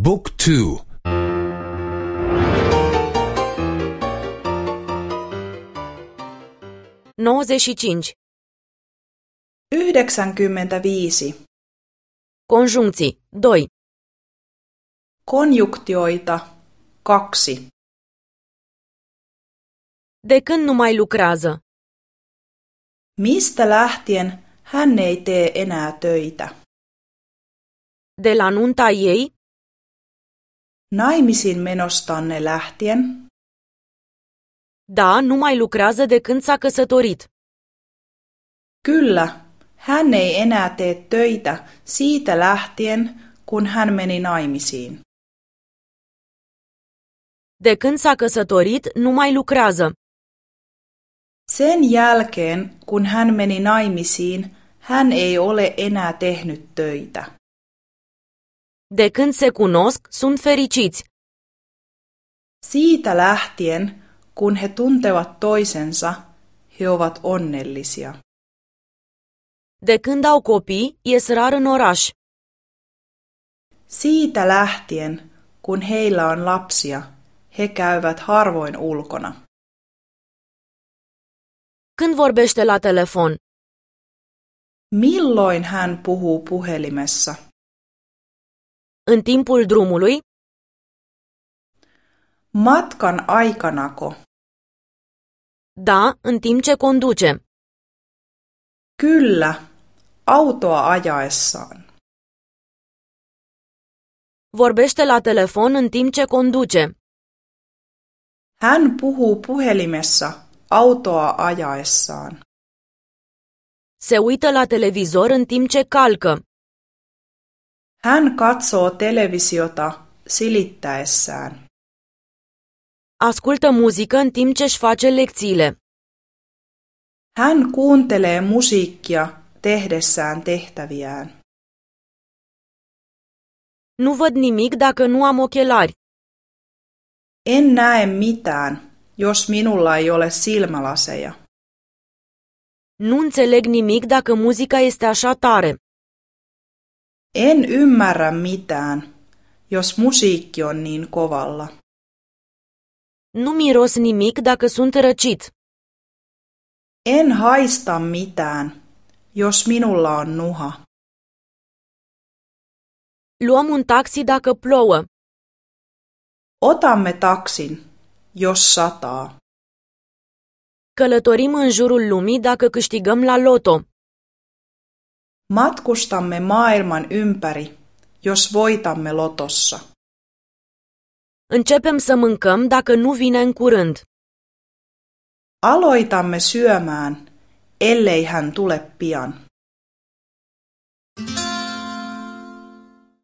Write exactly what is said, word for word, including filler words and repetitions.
Book two. nouăzeci și cinci. Yhdeksänkymmentäviisi. Conjuncții. Doi. Konjunktioita. Kaksi. De când nu mai lucrează? Mistä lähtien hän ei tee enää töitä? De la nunta ei? Naimisiin menostanne lähtien? Da, nu mai lucrează de când s-a căsătorit. Kyllä, hän ei enää tee töitä siitä lähtien, kun hän meni naimisiin. De când s-a căsătorit, nu mai lucrează. Sen jälkeen, kun hän meni naimisiin, hän ei ole enää tehnyt töitä. De când se cunosc, sunt fericiți. Siitä lähtien, kun he tuntevat toisensa, he ovat onnellisia. De când au copii, ies rar în oraș. Siitä lähtien, kun heillä on lapsia, he käyvät harvoin ulkona. Când vorbește la telefon? Milloin hän puhuu puhelimessa? În timpul drumului? Matkan aikanako? Da, în timp ce conduce. Kyllä, autoa ajaessaan. Vorbește la telefon în timp ce conduce. Hän puhuu puhelimessa autoa ajaessaan. Se uită la televizor în timp ce calcă. Hän katsoo televisiota silittäessään. Ascultă muzică în timp ce își face lecțiile. Hän kuuntelee musiikkia tehdessään tehtäviään. Nu văd nimic dacă nu am ochelari. En näe mitään, jos minulla ei ole silmälaseja. Nu înțeleg nimic dacă muzica este așa tare. En ymmärrä mitään, jos musiikki on niin kovalla. Nu miros nimic dacă sunt răcit. En haista mitään, jos minulla on nuha. Luăm un taxi dacă plouă. Otamme taksin, jos sataa. Călătorim în jurul lumii dacă câștigăm la loto. Matkustamme maailman ympäri, jos voitamme lotossa. Începem să mâncăm dacă nu vine în curând. Aloitamme syömään, ellei hän tule pian.